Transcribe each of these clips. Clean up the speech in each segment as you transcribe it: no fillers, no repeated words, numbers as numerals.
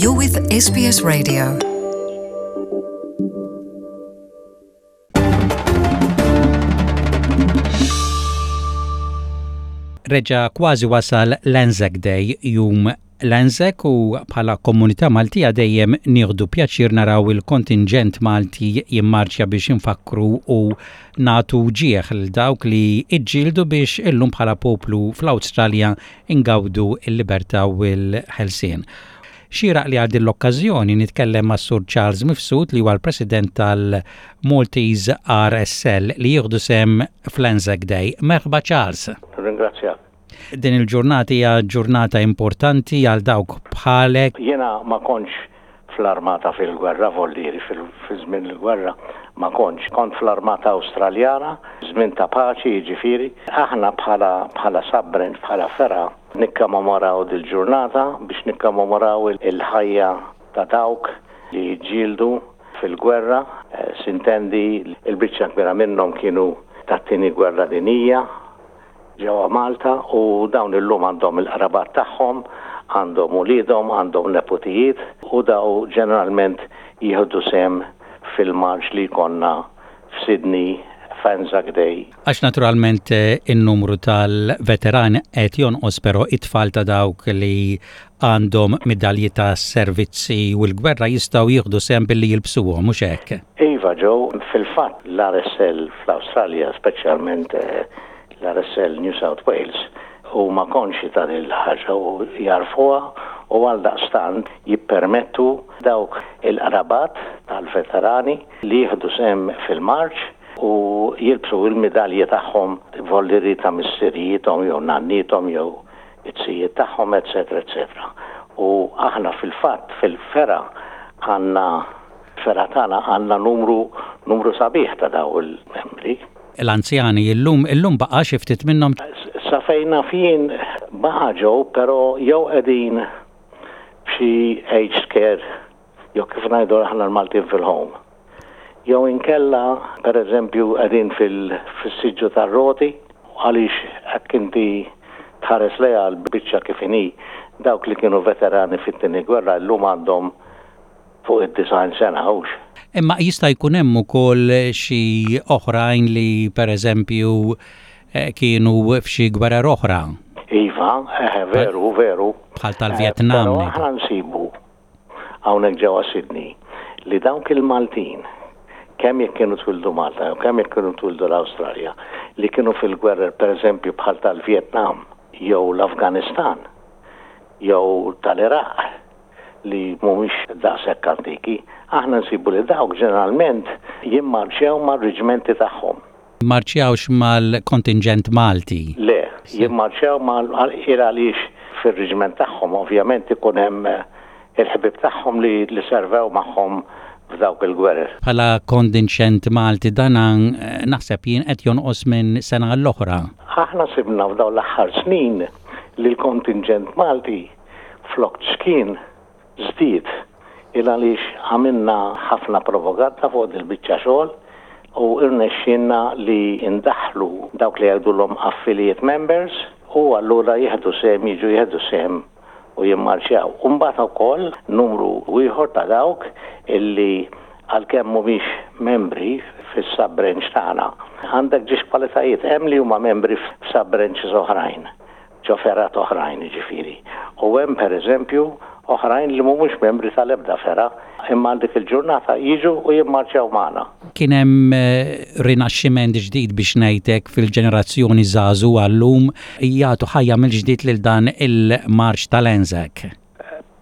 You're with SBS Radio. Reġa kważi wasal l-Anzac Day, jum l-Anzac u bħala komunità Maltija dejjem nieħdu pjaċir naraw il-kontinġent Malti jimmarċja biex infakkru u nagħtu ġieħ lil dawk li ġġieldu biex illum bħala poplu fl-Awstralja ingawdu l-libertà u l-ħelsien. Xieraq li għal din l-okkażjoni nitkellem mas-Sur Charles Mifsud li huwa l-President tal-Maltese RSL li jieħdu sehem fl-Anzac Day. Merħba Charles. Nirringrazzjak. Din il-ġurnata hija ġurnata importanti għal dawk bħalek. Jiena ma kontx fl-armata fil-gwerra, voldieri fi żmien il-gwerra ma kontx. Kont fl-armata Awstraljana, żmien ta' paċi jiġifieri. Aħna bħala bħala sub-branch, bħala fergħa, nikkommemoraw dil-ġurnata biex nikkommemoraw il-ħajja ta' dawk li ġġieldu fil-gwerra, sintendi l-biċċa kbira minnhom kienu tat-Tieni Gwerra Dinjija, ġewwa Malta u dawn illum għandhom il-qrabat tagħhom, għandhom uliedhom, għandhom neputijiet u daw ġeneralment jieħdu sehem fil-marċ li jkollna f'Sydney f'Anzac Day. Għax naturalment in-numru tal-veterani qed jonqos però it-tfal ta' dawk li għandhom midalji ta' servizzi u l-gwerra jistgħu jieħdu sehem billi jilbsuhom, mhux hekk? Iva Joe, fil-fatt l-RSL fl-Awstralja, speċjalment l-RSL New South Wales, huma konxji ta' din il-ħaġa u jagħrfuha u għaldaqstant jippermettu dawk il-qrabat tal-veterani li jieħdu sehem fil-marċ u jilbsu l-midalji tagħhom vollieri ta' missirijiethom jew nanniethom jew it-sijiet tagħhom, eċċetera, eċċetera. U aħna fil-fatt fil-fergħa għandna fergħa tagħna għandna numru numru sabiħ ta' daw il-membri. L-anzjani illum illum baqa' xi ftit minnhom? Sa fejn naf jien baqa' ġew, però jew qegħdin f'xi aged care jew kif ngħidu aħna l-Maltin fil-home. Jew inkella, per eżempju, qegħdin fis-siġġu tar-roti, għaliex hekk inti tħares lejha l-biċċa kif inhi, dawk li kienu veterani fit-Tieni Gwerra llum għandhom fuq id-90 sena, hux? Imma jista' jkun hemm ukoll xi oħrajn li, per eżempju, kienu f'xi gwerer oħra. Iva, eħe, veru, veru. Bħal tal-Vjetnam. Però aħna nsibu hawnhekk ġewwa Sydney li dawk il-Maltin, kemm jekk kienu twildu Malta jew kemm jekk kienu twildu l-Awstralja, li kienu fil-gwerer pereżempju bħal tal-Vjetnam jew l-Afganistan jew tal-Iraq li mhumiex daqshekk antiki, aħna nsibu li dawk ġeneralment jimmarċjaw mar-riġmenti tagħhom. Jimmarċjawx mal-kontinġent Malti? Le, jimmarċjaw mal il għaliex fir-riġment tagħhom ovvjament ikun hemm il-ħbieb tagħhom li li servew magħhom f'dawk il-gwerer. Bħala kondinċent Malti dan naħseb jien qed jonqos minn sena għall-oħra. Aħna sibna f'dawn l-aħħar snin li l-kontinġent Malti flok ċkien żdied il għaliex għamilna ħafna propaganda fuq dil-biċċa xogħol u rnexxielna li ndaħħlu dawk li jgħidulhom affiliate members u allura jieħdu sehem jiġu jieħdu sehem u jimmarċjaw. U mbagħad ukoll numru ieħor ta' dawk illi għalkemm mhumiex membri fis-sub-branch tagħna, għandek ġiex kwalitajiet hemm li huma membri f'sub-branches oħrajn. ġo fergħat oħrajn jiġifieri. U hemm per eżempju oħrajn li mhumiex membri tal-ebda fergħa imma għal dik il-ġurnata jiġu u jimmarċjaw magħna. Kien hemm rinaxximent ġdid biex ngħid hekk fil-ġenerazzjoni żagħżugħa llum jagħtu ħajja mill-ġdid lil dan il-marċ tal-Anzac.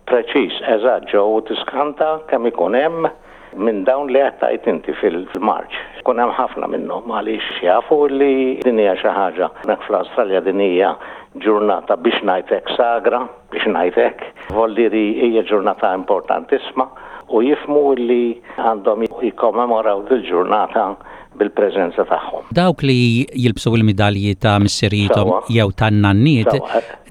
Preċiż, eżatt Joe, u tiskanta kemm ikun hemm minn dawn li qed tgħid inti fil-marċ. Ikun hemm ħafna minnhom għaliex jafu li din hija xi ħaġa, hemmhekk fl-Awstralja din hija ġurnata biex ngħid hekk sagra, biex ngħid hekk, voldieri hija ġurnata importantissma u jifhmu li għandhom jikkommemoraw dil-ġurnata bil-preżenza tagħhom. Dawk li jilbsu l-midalji ta' missirijiethom jew tan-nanniet,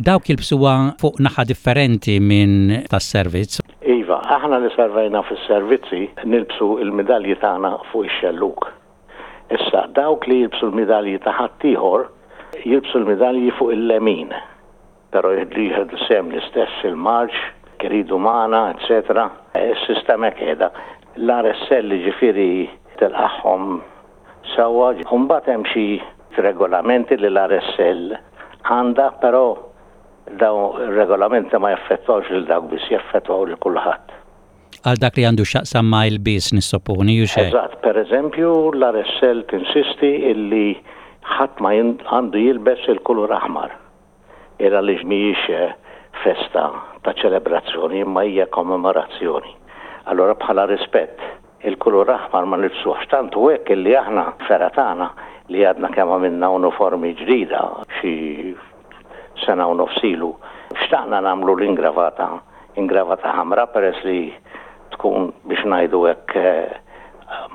dawk jilbsuha fuq naħa differenti minn tas-servizz. Iva, aħna li servejna fis-servizzi nilbsu l-midalji tagħna fuq ix-xellug. Issa, dawk li jilbsu l-midalji ta' ħaddieħor jilbsu l-midalji fuq il-lemin. Però jieħdu sehem l-istess fil-marċ. jekk iridu magħna, eċċetera. Is-sistema hekk qiegħda. L-RSL jiġifieri tilqagħhom sewwa. U mbagħad hemm xi regolamenti li l-RSL għandha, però dawn ir-regolamenti ma jaffettwawx lil dawk biss, jaffettwaw lil kulħadd. Għal dak li għandu x'jaqsam ma' ilbies nissoponi, hux hekk? Eżatt. Per eżempju, l-RSL tinsisti illi ħadd ma għandu jilbes il-kulur aħmar. Il għaliex mhijiex festa ta' ċelebrazzjoni imma hija kommemorazzjoni. Allura bħala rispett, il-kulur aħmar ma nilbsuhx. Tant hu hekk illi aħna, fergħa tagħna, li għadna kemm għamilna uniformi ġdida xi sena u nofs ilu, xtaqna nagħmlu l-ingravata, ingravata ħamra peress li tkun biex ngħidu hekk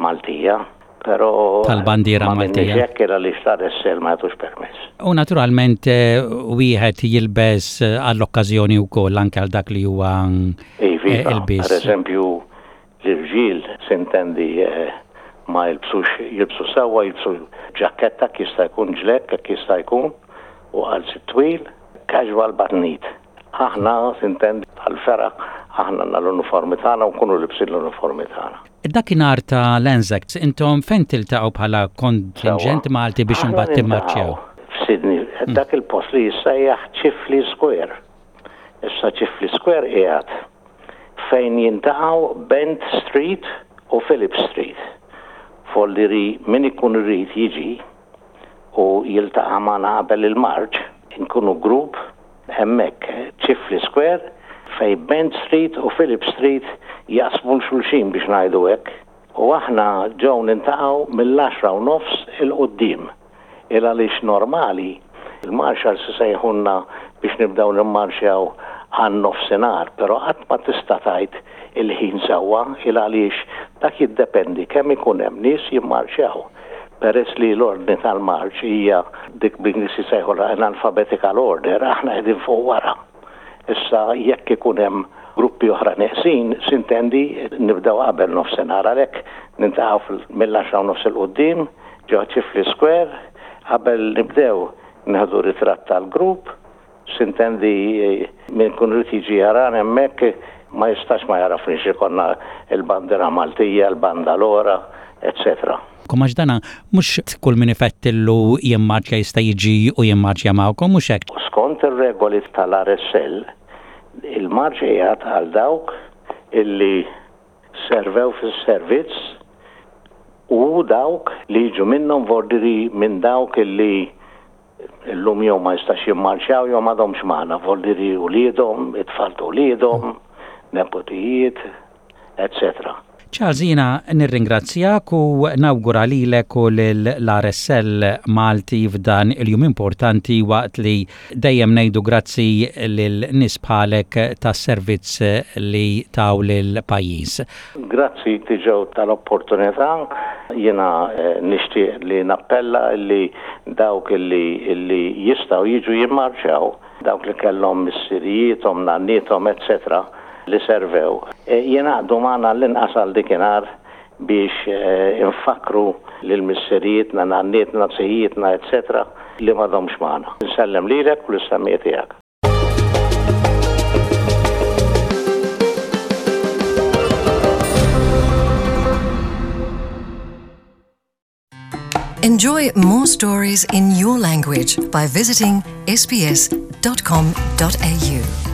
Maltija, però tal-bandiera ma Maltija. Hekk era li l-RSL ma jagħtux permess. U naturalment wieħed jilbes għall-okkażjoni wkoll anke għal dak li huwa Iva, ilbies. Per eżempju, L-irġiel, sintendi, ma jilbsux, jilbsu sewwa, jilbsu ġakketta jekk jista' jkun, ġlekk jekk jista' jkun, u qalziet twil, casual but neat. Aħna, sintendi, bħall-fergħa, aħna għandna l-uniformi tagħna u nkunu libsin l-uniformi tagħna. Dakinhar ta' l-Anzacs, intom fejn tiltaqgħu bħala kontinġent Malti biex imbagħad timmarċjaw? Aħna niltaqgħu f'Sydney, dak il-post li jissejjaħ Chifley Square. Issa Chifley Square qiegħed fejn jintaqgħu Bent Street u Phillip Street. Folli min ikun irid jiġi u jiltaqa' magħna qabel il-marċ, inkunu grupp hemmhekk Chifley Square fejn Bent Street u Phillip Street jaqsmu 'l xulxin biex ngħidu hekk. U aħna ġew nintaqgħu mill-għaxra u nofs 'il quddiem. Il għaliex normali il-marshals isejħulna biex nibdew nimmarxjaw għan-nofsinhar, però qatt ma tista' tgħid il-ħin sewwa il għaliex dak jiddependi kemm ikun hemm nies jimmarxjaw. Peress li l-ordni tal-marċ hija dik bl-Ingliż isejħulha in alphabetical order, aħna qegħdin fuq wara. Issa jekk ikun hemm gruppi oħra neqsin, sintendi nibdew qabel nofsinhar għalhekk nintaqgħu mill-għaxra u nofs 'il quddiem ġo Chifley Square, qabel nibdew nieħdu ritratt tal-grupp, sintendi min ikun irid jiġi jarana hemmhekk ma jistax ma jagħrafniex ikollna l-bandiera Maltija, l-bandalora, etc. Magħkom għax dana mhux kull min ifettillu jimmarċja jista' jiġi u jimmarċja magħkom mhux hekk? Skont ir-regoli tal-RSL, il-marċ qiegħed għal dawk illi servew fis-servizz u dawk li jiġu minnhom vordiri minn dawk illi Illum jew ma jistax jimmarċjaw jew m'għadhomx magħna, voldiri uliedhom, it-tfal ta' uliedhom, nepotijiet, etc. Charles jiena nirringrazzjak u nawgura lilek u lill-RSL Malti f'dan il-jum importanti waqt li dejjem ngħidu grazzi lil nies bħalek tas-servizz li taw lill-pajjiż. Grazzi Joe tal-opportunità. Jiena nixtieq li nappella li dawk li li jistgħu jiġu jimmarċjaw, dawk li kellhom missirijiethom, nanniethom, etc. Li servew, jingħaqdu magħna għall-inqas għal dikinhar biex infakkru lil missirijietna, nannietna, zijietna, etc. Li m'għadhomx magħna. Insellem lilek u lis-semmiegħa tiegħek. Enjoy more stories in your language by visiting sbs.com.au.